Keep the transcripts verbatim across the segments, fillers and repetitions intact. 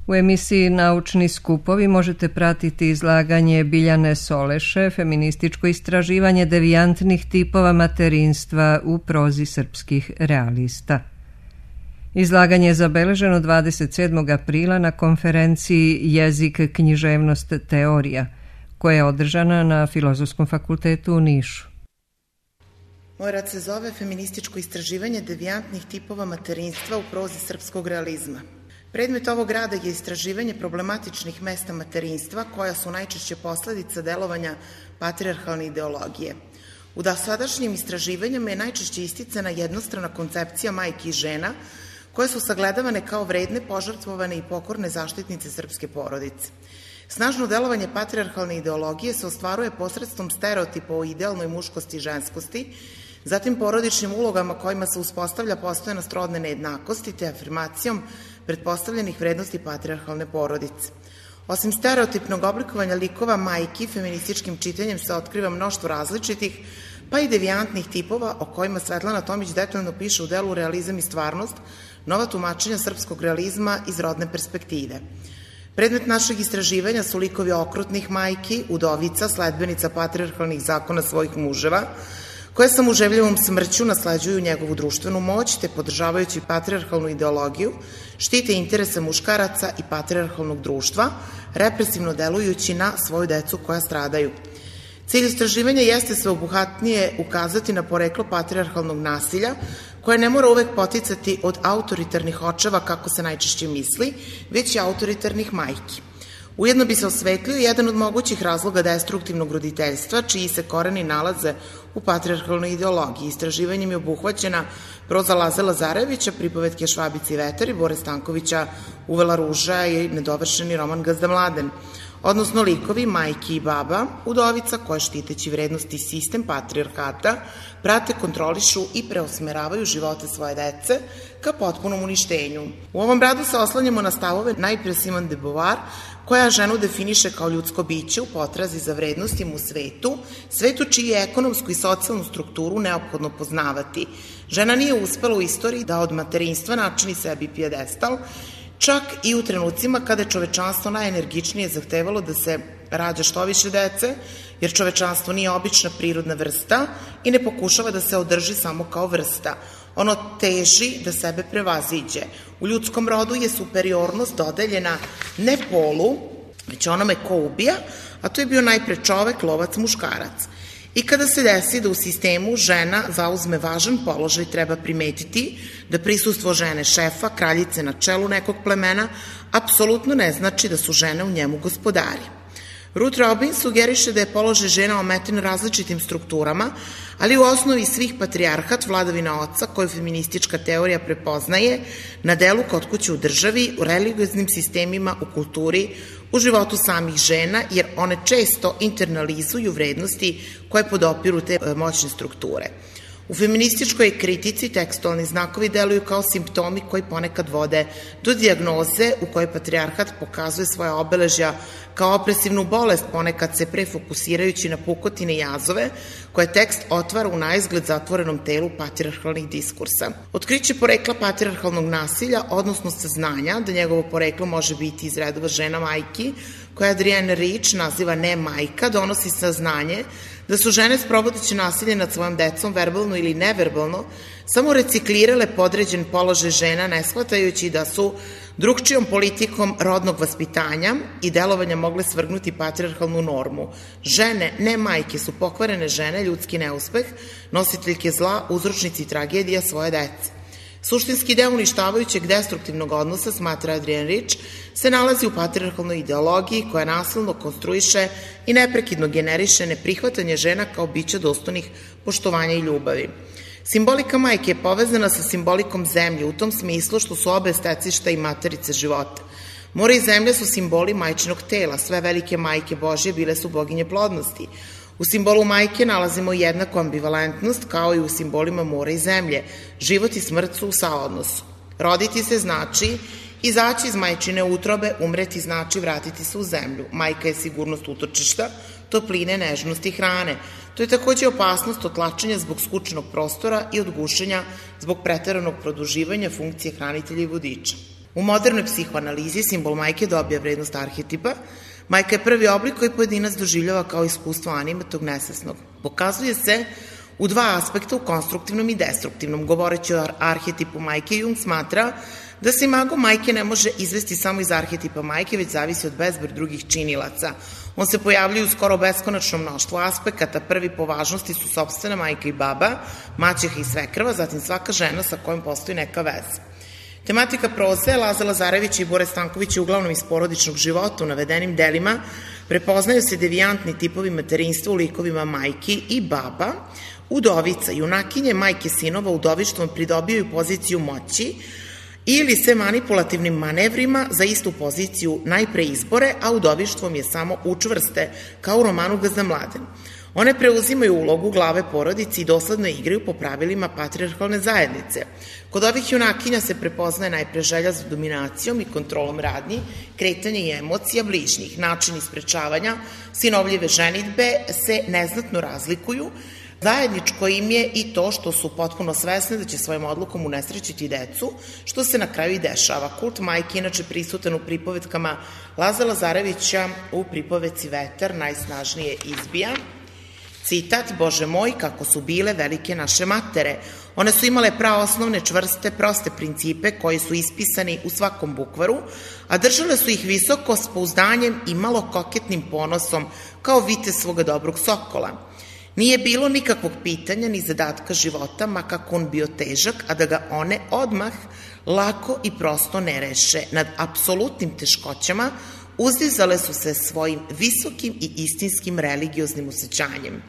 U emisiji Naučni skupovi možete pratiti izlaganje Biljane Soleše, feminističko istraživanje devijantnih tipova materinstva u prozi srpskih realista. Izlaganje je zabeleženo dvadeset sedmog aprila na konferenciji Jezik, književnost, teorija, koja je održana na Filozofskom fakultetu u Nišu. Moj rad se zove Feminističko istraživanje devijantnih tipova materinstva u prozi srpskog realizma. Predmet ovog rada je istraživanje problematičnih mesta materinstva koja su najčešće posledica delovanja patrijarhalne ideologije. U dosadašnjim istraživanjima je najčešće isticana jednostrana koncepcija majki i žena koje su sagledavane kao vredne, požrtvovane i pokorne zaštitnice srpske porodice. Snažno delovanje patrijarhalne ideologije se ostvaruje posredstvom stereotipa o idealnoj muškosti i ženskosti, zatim porodičnim ulogama kojima se uspostavlja postojanost rodne nejednakosti te afirmacijom pretpostavljenih vrednosti patrijarhalne porodice. Osim stereotipnog oblikovanja likova majki, feminističkim čitanjem se otkriva mnoštvo različitih, pa i devijantnih tipova o kojima Svetlana Tomić detaljno piše u delu Realizam i stvarnost, nova tumačenja srpskog realizma iz rodne perspektive. Predmet našeg istraživanja su likovi okrutnih majki, udovica, sledbenica patrijarhalnih zakona svojih muževa, koje sa muževljivom smrću nasleđuju njegovu društvenu moć, te podržavajući patrijarhalnu ideologiju, štite interese muškaraca i patrijarhalnog društva, represivno delujući na svoju decu koja stradaju. Cilj istraživanja jeste sveobuhvatnije ukazati na poreklo patrijarhalnog nasilja, koje ne mora uvek poticati od autoritarnih očeva, kako se najčešće misli, već i autoritarnih majki. Ujedno bi se osvetlio jedan od mogućih razloga destruktivnog roditeljstva, čiji se koreni nalaze u patrijarhalnoj ideologiji. Istraživanjem je obuhvaćena proza Laze Lazarevića, pripovetke Švabice i Vetar i Bore Stankovića Uvela ruža i nedovršeni roman Gazda Mladen, odnosno likovi majki i baba, udovica koje štiteći vrednosti sistem patrijarhata prate, kontrolišu i preusmeravaju živote svoje dece ka potpunom uništenju. U ovom radu se oslanjamo na stavove najpre Simone de Beauvoir, koja ženu definiše kao ljudsko biće u potrazi za vrednostima u svetu, svetu čiji je ekonomsku i socijalnu strukturu neophodno poznavati. Žena nije uspela u istoriji da od materinstva načini sebi pijedestal, čak i u trenucima kada je čovečanstvo najenergičnije zahtevalo da se rađa što više dece, jer čovečanstvo nije obična prirodna vrsta i ne pokušava da se održi samo kao vrsta. Ono teži da sebe prevaziđe. U ljudskom rodu je superiornost dodeljena ne polu, već onome ko ubija, a to je bio najpre čovek, lovac, muškarac. I kada se desi da u sistemu žena zauzme važan položaj, treba primetiti da prisustvo žene šefa, kraljice na čelu nekog plemena, apsolutno ne znači da su žene u njemu gospodari. Ruth Robins sugeriše da je položaj žena ometen različitim strukturama, ali u osnovi svih patrijarhat, vladavina oca, koju feministička teorija prepoznaje, na delu kod kuće u državi, u religioznim sistemima, u kulturi, u životu samih žena, jer one često internalizuju vrednosti koje podopiru te moćne strukture. U feminističkoj kritici tekstualni znakovi deluju kao simptomi koji ponekad vode do dijagnoze u kojoj patrijarhat pokazuje svoje obeležja kao opresivnu bolest, ponekad se prefokusirajući na pukotine i jazove koje tekst otvara u naizgled zatvorenom telu patrijarhalnih diskursa. Otkriće porekla patrijarhalnog nasilja, odnosno saznanja da njegovo poreklo može biti iz redova žena majki, koja Adrienne Rich naziva ne majka, donosi saznanje da su žene sprovodeći nasilje nad svojom decom, verbalno ili neverbalno, samo reciklirale podređen položaj žena, ne shvatajući da su drugčijom politikom rodnog vaspitanja i delovanja mogle svrgnuti patrijarhalnu normu. Žene, ne majke, su pokvarene žene, ljudski neuspeh, nositeljke zla, uzročnici tragedija svoje dece. Suštinski deo uništavajućeg destruktivnog odnosa, smatra Adrienne Rich, se nalazi u patrijarhalnoj ideologiji koja nasilno konstruiše i neprekidno generiše neprihvatanje žena kao bića dostojnih poštovanja i ljubavi. Simbolika majke je povezana sa simbolikom zemlje u tom smislu što su obe stecišta i materice života. More i zemlja su simboli majčinog tela, sve velike majke Božje bile su boginje plodnosti. U simbolu majke nalazimo jednaku ambivalentnost kao i u simbolima mora i zemlje. Život i smrt su u saodnosu. Roditi se znači izaći iz majčine utrobe, umreti znači vratiti se u zemlju. Majka je sigurnost utočišta, topline, nežnosti i hrane. To je takođe opasnost od tlačenja zbog skučnog prostora i od gušenja zbog preteranog produživanja funkcije hranitelja i vodiča. U modernoj psihoanalizi simbol majke dobija vrednost arhetipa. Majka je prvi oblik koji pojedinac doživljava kao iskustvo animatog nesvesnog. Pokazuje se u dva aspekta, u konstruktivnom i destruktivnom. Govoreći o arhetipu majke, Jung smatra da se imago majke ne može izvesti samo iz arhetipa majke, već zavisi od bezbroj drugih činilaca. On se pojavljuje u skoro beskonačnom mnoštvu aspekata. Prvi po važnosti su sopstvena majka i baba, maćeha i svekrva, zatim svaka žena sa kojom postoji neka veza. Tematika proze Laza Lazarevića i Bore Stankovića uglavnom iz porodičnog života. U navedenim delima prepoznaju se devijantni tipovi materinstva u likovima majki i baba. Udovica, junakinje, majke sinova udovištvom pridobijaju poziciju moći ili se manipulativnim manevrima za istu poziciju najpre izbore, a udovištvom je samo učvrste, kao u romanu Gazda Mladen. One preuzimaju ulogu glave porodici i dosledno igraju po pravilima patrijarhalne zajednice. Kod ovih junakinja se prepoznaje najpre želja za dominacijom i kontrolom radnji, kretanje i emocija bližnjih. Načini sprečavanja sinovljive ženidbe se neznatno razlikuju. Zajedničko im je i to što su potpuno svesne da će svojom odlukom unesrećiti decu, što se na kraju i dešava. Kult majke inače prisutan u pripovetkama Laza Lazarevića, u pripovetci Vetar najsnažnije izbija. Citat: Bože moj, kako su bile velike naše matere. One su imale praosnovne, čvrste, proste principe koji su ispisani u svakom bukvaru, a držale su ih visoko s pouzdanjem i malo koketnim ponosom, kao vite svoga dobrog sokola. Nije bilo nikakvog pitanja ni zadatka života, ma kako on bio težak, a da ga one odmah lako i prosto ne reše. Nad apsolutnim teškoćama uzdizale su se svojim visokim i istinskim religioznim osjećanjem.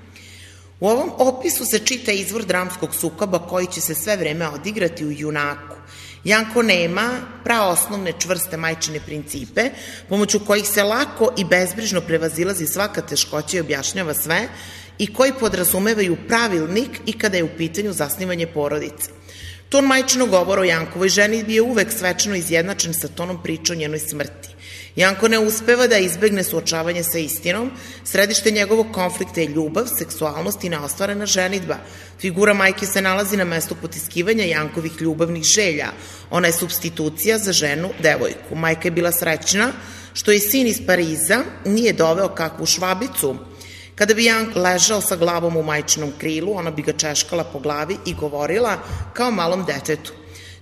U ovom opisu se čita izvor dramskog sukoba koji će se sve vreme odigrati u junaku. Janko nema praosnovne čvrste majčine principe, pomoću kojih se lako i bezbrižno prevazilazi svaka teškoća i objašnjava sve, i koji podrazumevaju pravilnik i kada je u pitanju zasnivanje porodice. Ton majčinog govora o Jankovoj ženidbi je uvek svečano izjednačen sa tonom priče o njenoj smrti. Janko ne uspeva da izbegne suočavanje sa istinom, središte njegovog konflikta je ljubav, seksualnost i neostvarena ženidba. Figura majke se nalazi na mestu potiskivanja Jankovih ljubavnih želja. Ona je supstitucija za ženu, devojku. Majka je bila srećna što je sin iz Pariza nije doveo kakvu švabicu. Kada bi Jank ležao sa glavom u majčinom krilu, ona bi ga češkala po glavi i govorila kao malom detetu.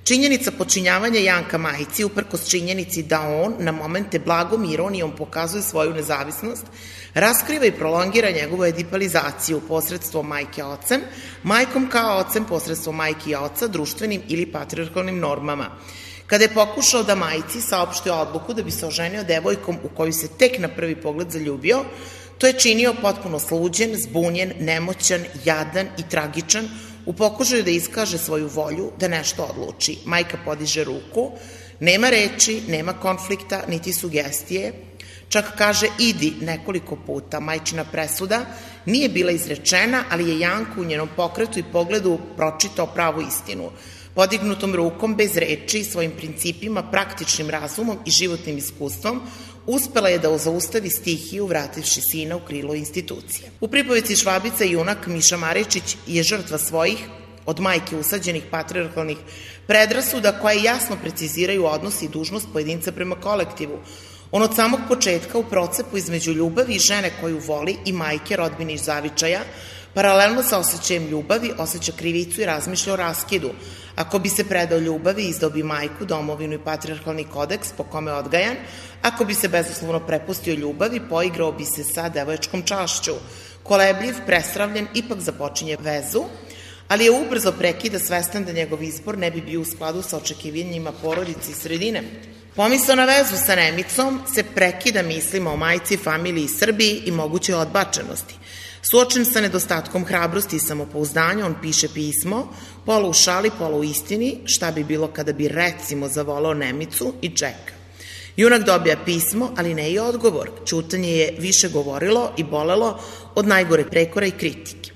Činjenica počinjavanja Janka majci, uprkos činjenici da on na momente blagom ironijom pokazuje svoju nezavisnost, raskriva i prolongira njegovu edipalizaciju posredstvom majke ocem, majkom kao ocem posredstvom majke i oca, društvenim ili patrijarhalnim normama. Kada je pokušao da majci saopšti odluku da bi se oženio devojkom u koju se tek na prvi pogled zaljubio, to je činio potpuno sluđen, zbunjen, nemoćan, jadan i tragičan, u pokušaju da iskaže svoju volju da nešto odluči. Majka podiže ruku, nema reči, nema konflikta, niti sugestije, čak kaže idi nekoliko puta. Majčina presuda nije bila izrečena, ali je Janko u njenom pokretu i pogledu pročitao pravu istinu. Podignutom rukom, bez reči, svojim principima, praktičnim razumom i životnim iskustvom, uspela je da zaustavi stihiju vrativši sina u krilo institucije. U pripovici Švabica junak Miša Maričić je žrtva svojih, od majke usađenih patrijarhalnih predrasuda koje jasno preciziraju odnos i dužnost pojedinca prema kolektivu. On od samog početka u procepu između ljubavi i žene koju voli i majke, rodbine i zavičaja, paralelno sa osjećajem ljubavi, osjeća krivicu i razmišlja o raskidu. Ako bi se predao ljubavi, izdao bi majku, domovinu i patrijarhalni kodeks po kome je odgajan. Ako bi se bezuslovno prepustio ljubavi, poigrao bi se sa devojačkom čašću. Kolebljiv, presravljen, ipak započinje vezu, ali je ubrzo prekida, svestan da njegov izbor ne bi bio u skladu sa očekivanjima porodice i sredine. Pomisao na vezu sa Nemicom se prekida mislima o majci, familiji, Srbiji i mogućoj odbačenosti. Suočen sa nedostatkom hrabrosti i samopouzdanja, on piše pismo, pola u šali, pola u istini, šta bi bilo kada bi recimo zavolao Nemicu i čeka. Junak dobija pismo, ali ne i odgovor. Ćutanje je više govorilo i bolelo od najgore prekora i kritike.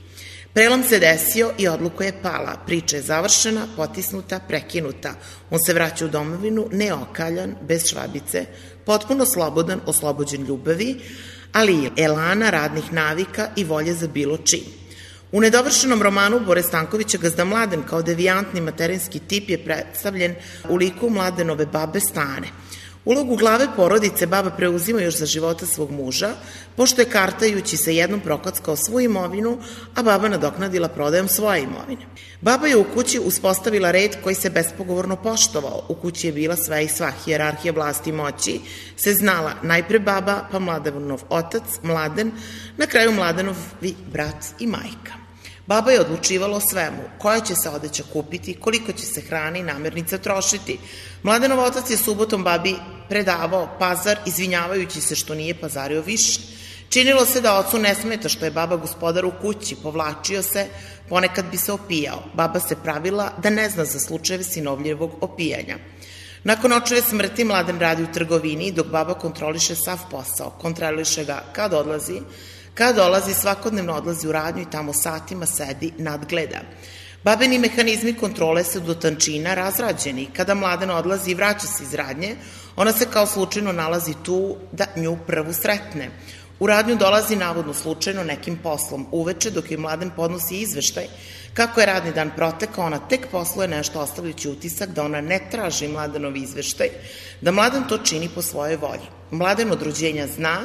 Prelom se desio i odluka je pala. Priča je završena, potisnuta, prekinuta. On se vraća u domovinu, neokaljan, bez švabice, potpuno slobodan, oslobođen ljubavi, ali i elana, radnih navika i volje za bilo čim. U nedovršenom romanu Bore Stankovića Gazda Mladen kao devijantni materinski tip je predstavljen u liku Mladenove babe Stane. Ulogu glave porodice baba preuzima još za života svog muža, pošto je kartajući se jednom prokockao svu imovinu, a baba nadoknadila prodajom svoje imovine. Baba je u kući uspostavila red koji se bespogovorno poštovao. U kući je bila sve i sva, hijerarhija vlasti i moći se znala, najpre baba, pa Mladenov otac, Mladen, na kraju Mladenovi brat i majka. Baba je odlučivala o svemu, koja će se odeća kupiti, koliko će se hrane i namirnica trošiti. Mladenov otac je subotom babi predavao pazar, izvinjavajući se što nije pazario više. Činilo se da ocu ne smeta što je baba gospodar u kući, povlačio se, ponekad bi se opijao. Baba se pravila da ne zna za slučajeve sinovljevog opijanja. Nakon očeve smrti Mladen radi u trgovini, dok baba kontroliše sav posao. Kontroliše ga kad odlazi, kad dolazi, svakodnevno odlazi u radnju i tamo satima sedi, nadgleda. Babini mehanizmi kontrole su do tančina razrađeni. Kada Mladen odlazi i vraća se iz radnje, ona se kao slučajno nalazi tu da nju prvu sretne. U radnju dolazi navodno slučajno nekim poslom. Uveče, dok joj Mladen podnosi izveštaj kako je radni dan protekao, ona tek posluje nešto ostavljajući utisak da ona ne traži Mladenov izveštaj, da Mladen to čini po svojoj volji. Mladen od rođenja zna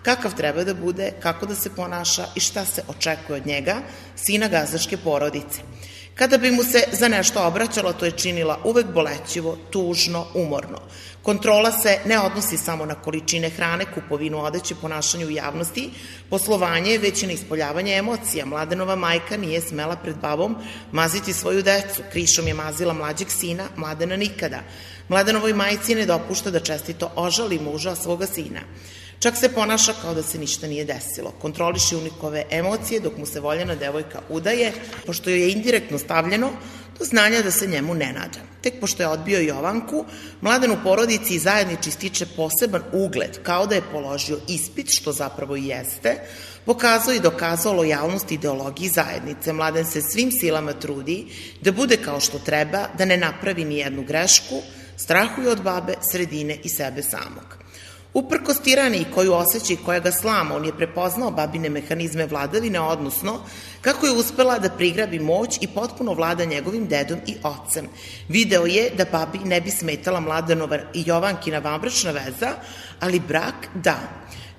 kakav treba da bude, kako da se ponaša i šta se očekuje od njega, sina gazdaške porodice. Kada bi mu se za nešto obraćala, to je činila uvek bolećivo, tužno, umorno. Kontrola se ne odnosi samo na količine hrane, kupovinu odeće, ponašanje u javnosti, poslovanje, već i na ispoljavanje emocija. Mladenova majka nije smela pred babom maziti svoju decu, krišom je mazila mlađeg sina, Mladena nikada. Mladenovoj majci ne dopušta da čestito ožali muža svoga sina. Čak se ponaša kao da se ništa nije desilo. Kontroliše unikove emocije dok mu se voljena devojka udaje, pošto joj je indirektno stavljeno do znanja da se njemu ne nada. Tek pošto je odbio Jovanku, Mladen u porodici i zajednici stiče poseban ugled, kao da je položio ispit, što zapravo i jeste, pokazao i dokazao lojalnost ideologiji zajednice. Mladen se svim silama trudi da bude kao što treba, da ne napravi ni jednu grešku, strahuje od babe, sredine i sebe samog. Uprkos tiraniji koju osjeća i koja ga slama, on je prepoznao babine mehanizme vladavine, odnosno kako je uspela da prigrabi moć i potpuno vlada njegovim dedom i ocem. Video je da babi ne bi smetala Mladenova i Jovankina vanbračna veza, ali brak da.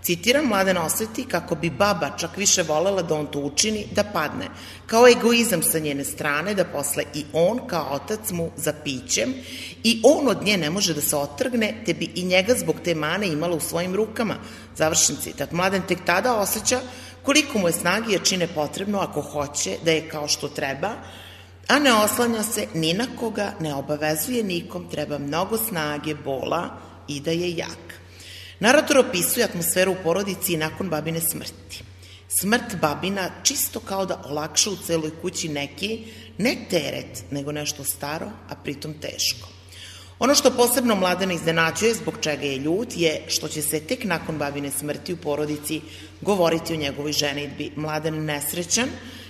Citiram, Mladen oseti kako bi baba čak više volela da on to učini, da padne. Kao egoizam sa njene strane, da posle i on kao otac mu za pićem i on od nje ne može da se otrgne, te bi i njega zbog te mane imala u svojim rukama. Završen citat. Mladen tek tada osjeća koliko mu je snage jer čine potrebno ako hoće da je kao što treba, a ne oslanja se ni na koga, ne obavezuje nikom, treba mnogo snage, bola i da je jak. Narator opisuje atmosferu u porodici i nakon babine smrti. Smrt babina čisto kao da olakša u celoj kući neki, ne teret, nego nešto staro, a pritom teško. Ono što posebno Mladena iznenađuje, zbog čega je ljut, je što će se tek nakon babine smrti u porodici govoriti o njegovoj ženidbi. Mladen nesrećan,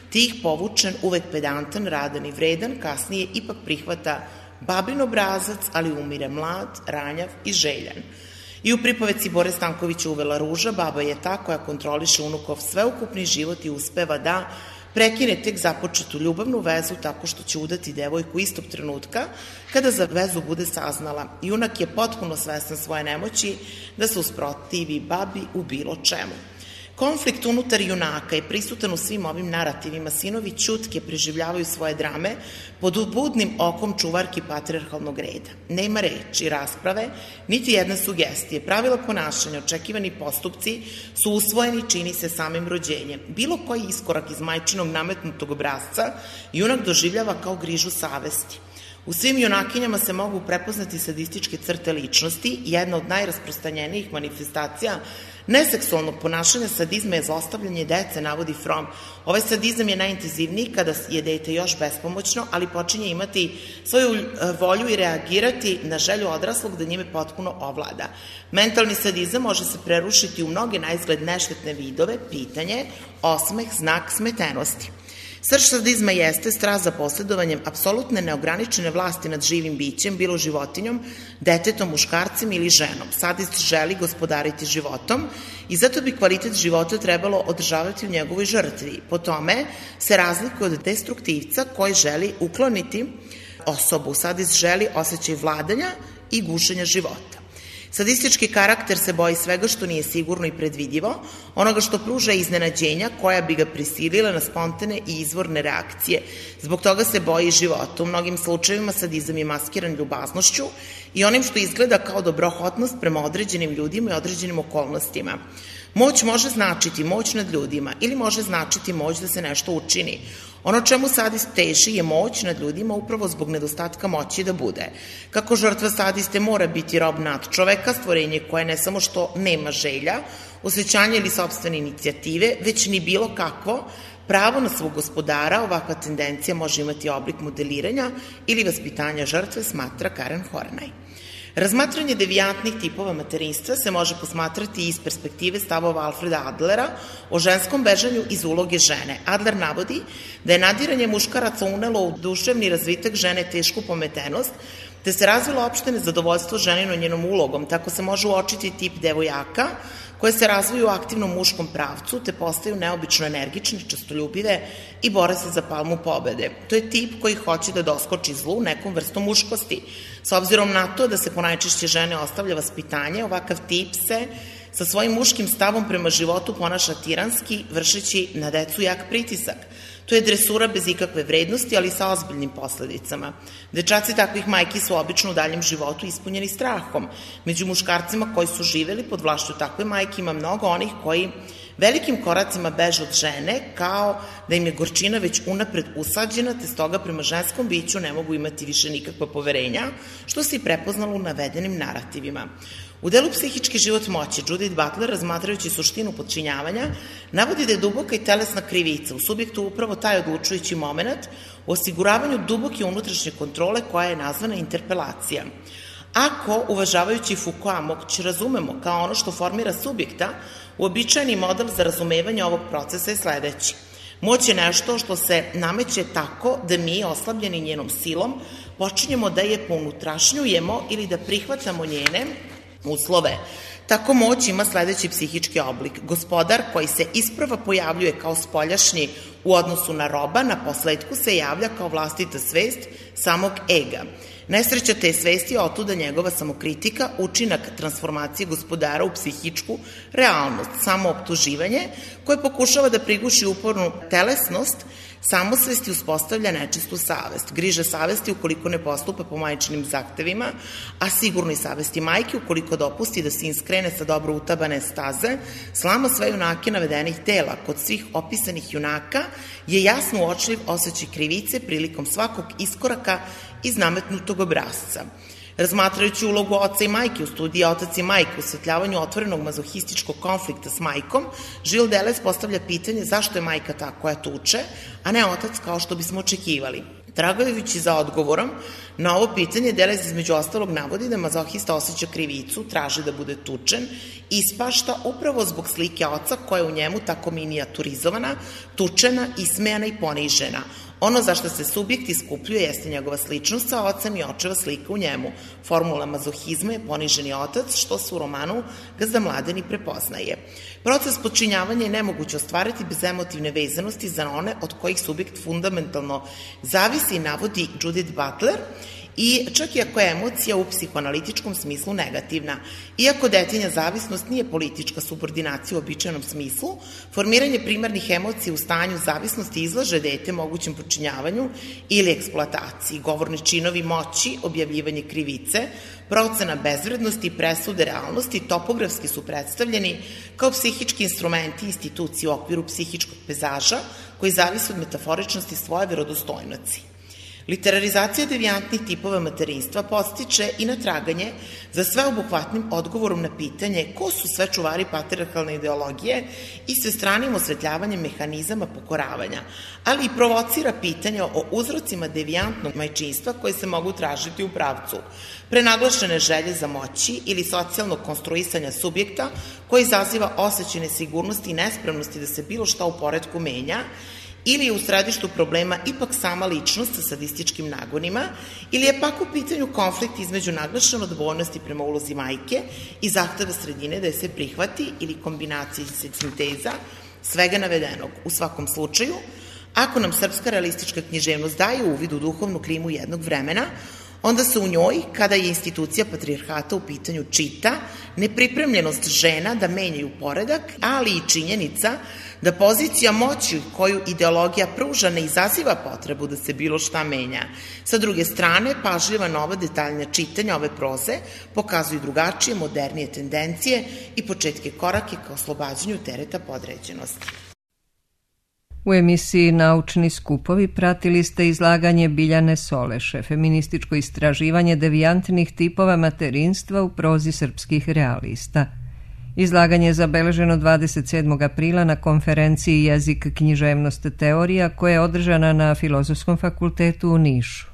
tih povučen, uvek pedantan, radan i vredan, kasnije ipak prihvata babin obrazac, ali umire mlad, ranjav i željan. I u pripoveci Bore Stankovića Uvela ruža, baba je ta koja kontroliše unukov sveukupni život i uspeva da prekine tek započetu ljubavnu vezu tako što će udati devojku istog trenutka kada za vezu bude saznala. Junak je potpuno svestan svoje nemoći da se usprotivi babi u bilo čemu. Konflikt unutar junaka je prisutan u svim ovim narativima. Sinovi ćutke preživljavaju svoje drame pod budnim okom čuvarki patrijarhalnog reda. Nema reči, rasprave, niti jedne sugestije. Pravila ponašanja, očekivani postupci su usvojeni, čini se samim rođenjem. Bilo koji iskorak iz majčinog nametnutog obrazca junak doživljava kao grižu savesti. U svim junakinjama se mogu prepoznati sadističke crte ličnosti. Jedna od najrasprostanjenijih manifestacija neseksualnog ponašanja sadizma je zlostavljanje dece, navodi Fromm. Ovaj sadizam je najintenzivniji kada je dete još bespomoćno, ali počinje imati svoju volju i reagirati na želju odraslog da njime potpuno ovlada. Mentalni sadizam može se prerušiti u mnoge naizgled neštetne vidove, pitanje, osmeh, znak smetenosti. Srž sadizma jeste strast za posledovanjem apsolutne neograničene vlasti nad živim bićem, bilo životinjom, detetom, muškarcem ili ženom. Sadist želi gospodariti životom i zato bi kvalitet života trebalo održavati u njegovoj žrtvi. Po tome se razlikuje od destruktivca koji želi ukloniti osobu. Sadist želi osjećaj vladanja i gušenja života. Sadistički karakter se boji svega što nije sigurno i predvidivo, onoga što pruža iznenađenja koja bi ga prisilila na spontane i izvorne reakcije. Zbog toga se boji života. U mnogim slučajevima sadizam je maskiran ljubaznošću i onim što izgleda kao dobrohotnost prema određenim ljudima i određenim okolnostima. Moć može značiti moć nad ljudima ili može značiti moć da se nešto učini. Ono čemu sadist teži je moć nad ljudima upravo zbog nedostatka moći da bude. Kako žrtva sadiste mora biti rob nad čoveka, stvorenje koje ne samo što nema želja, osjećanja ili sopstvene inicijative, već ni bilo kakvo pravo na svog gospodara, ovakva tendencija može imati oblik modeliranja ili vaspitanja žrtve, smatra Karen Horney. Razmatranje devijantnih tipova materinstva se može posmatrati iz perspektive stavova Alfreda Adlera o ženskom bežanju iz uloge žene. Adler navodi da je nadiranje muškaraca unelo u duševni razvitak žene tešku pometenost, te se razvilo opšte nezadovoljstvo ženino njenom ulogom. Tako se može uočiti tip devojaka koje se razviju u aktivnom muškom pravcu, te postaju neobično energične, častoljubive i bore se za palmu pobede. To je tip koji hoće da doskoči zlu nekom vrstom muškosti. S obzirom na to da se ponajčešće žene ostavlja vaspitanje, ovakav tip se sa svojim muškim stavom prema životu ponaša tiranski, vršeći na decu jak pritisak. To je dresura bez ikakve vrednosti, ali sa ozbiljnim posledicama. Dečaci takvih majki su obično u daljem životu ispunjeni strahom. Među muškarcima koji su živeli pod vlašću takve majke ima mnogo onih koji velikim koracima beže od žene, kao da im je gorčina već unapred usađena, te stoga prema ženskom biću ne mogu imati više nikakva poverenja, što se i prepoznalo u navedenim narativima. U delu Psihički život moći, Judith Butler, razmatrajući suštinu podčinjavanja, navodi da je duboka i telesna krivica u subjektu upravo taj odlučujući moment u osiguravanju duboke unutrašnje kontrole koja je nazvana interpelacija. Ako, uvažavajući Foucaulta, moć razumemo kao ono što formira subjekta, uobičajeni model za razumevanje ovog procesa je sledeći. Moć je nešto što se nameće tako da mi, oslabljeni njenom silom, počinjemo da je pounutrašnjujemo ili da prihvatamo njene uslove. Tako moć ima sledeći psihički oblik. Gospodar koji se isprva pojavljuje kao spoljašnji u odnosu na roba, na posledku se javlja kao vlastita svest samog ega. Nesreća te svesti je otuda njegova samokritika, učinak transformacije gospodara u psihičku realnost, samooptuživanje koje pokušava da priguši upornu telesnost, samosvesti uspostavlja nečistu savest. Griža savesti ukoliko ne postupa po majčinim zahtevima, a sigurnoj savesti majke ukoliko dopusti da se iskrene sa dobro utabane staze, slama sve junake navedenih tela. Kod svih opisanih junaka je jasno uočljiv osjećaj krivice prilikom svakog iskoraka iz nametnutog obrazca. Razmatrajući ulogu oca i majke u studiji Otac i majka u osvetljavanju otvorenog mazohističkog konflikta s majkom, Gilles Deleuze postavlja pitanje zašto je majka ta koja tuče, a ne otac kao što bismo očekivali. Tragajući za odgovorom na ovo pitanje, Deleuze između ostalog navodi da mazohista osjeća krivicu, traži da bude tučen i ispašta upravo zbog slike oca koja je u njemu tako minijaturizovana, tučena, ismejana i ponižena. Ono za što se subjekt iskupljuje jeste njegova sličnost sa ocem i očeva slika u njemu. Formula mazohizma je poniženi otac, što se u romanu Gazda Mladeni prepoznaje. Proces podčinjavanja je nemoguće ostvariti bez emotivne vezanosti za one od kojih subjekt fundamentalno zavisi, navodi Judith Butler, i čak i ako je emocija u psihoanalitičkom smislu negativna. Iako detinja zavisnost nije politička subordinacija u običajnom smislu, formiranje primarnih emocija u stanju zavisnosti izlaže dete mogućem počinjavanju ili eksploataciji. Govorni činovi moći, objavljivanje krivice, procena bezvrednosti i presude realnosti topografski su predstavljeni kao psihički instrumenti i institucije u okviru psihičkog pezaža koji zavise od metaforičnosti svoje verodostojnosti. Literarizacija devijantnih tipova materinstva podstiče i na traganje za sveobuhvatnim odgovorom na pitanje ko su sve čuvari patrijarhalne ideologije i svestranim osvetljavanjem mehanizama pokoravanja, ali i provocira pitanja o uzrocima devijantnog majčinstva koje se mogu tražiti u pravcu prenaglašene želje za moći ili socijalnog konstruisanja subjekta koji izaziva osjećaj nesigurnosti i nespremnosti da se bilo šta u poretku menja, ili je u središtu problema ipak sama ličnost sa sadističkim nagonima, ili je pak u pitanju konflikt između naglašene odgovornosti prema ulozi majke i zahteva sredine da je se prihvati ili kombinacija i sinteza svega navedenog. U svakom slučaju, ako nam srpska realistička književnost daje uvid u duhovnu klimu jednog vremena, onda se u njoj, kada je institucija patrijarhata u pitanju, čita nepripremljenost žena da menjaju poredak, ali i činjenica da pozicija moći koju ideologija pruža ne izaziva potrebu da se bilo šta menja. Sa druge strane, pažljiva nova detaljna čitanja ove proze pokazuju drugačije, modernije tendencije i početke korake ka oslobađanju tereta podređenosti. U emisiji Naučni skupovi pratili ste izlaganje Biljane Soleše, feminističko istraživanje devijantnih tipova materinstva u prozi srpskih realista. Izlaganje je zabeleženo dvadeset sedmog aprila na konferenciji Jezik, književnost, teorija koja je održana na Filozofskom fakultetu u Nišu.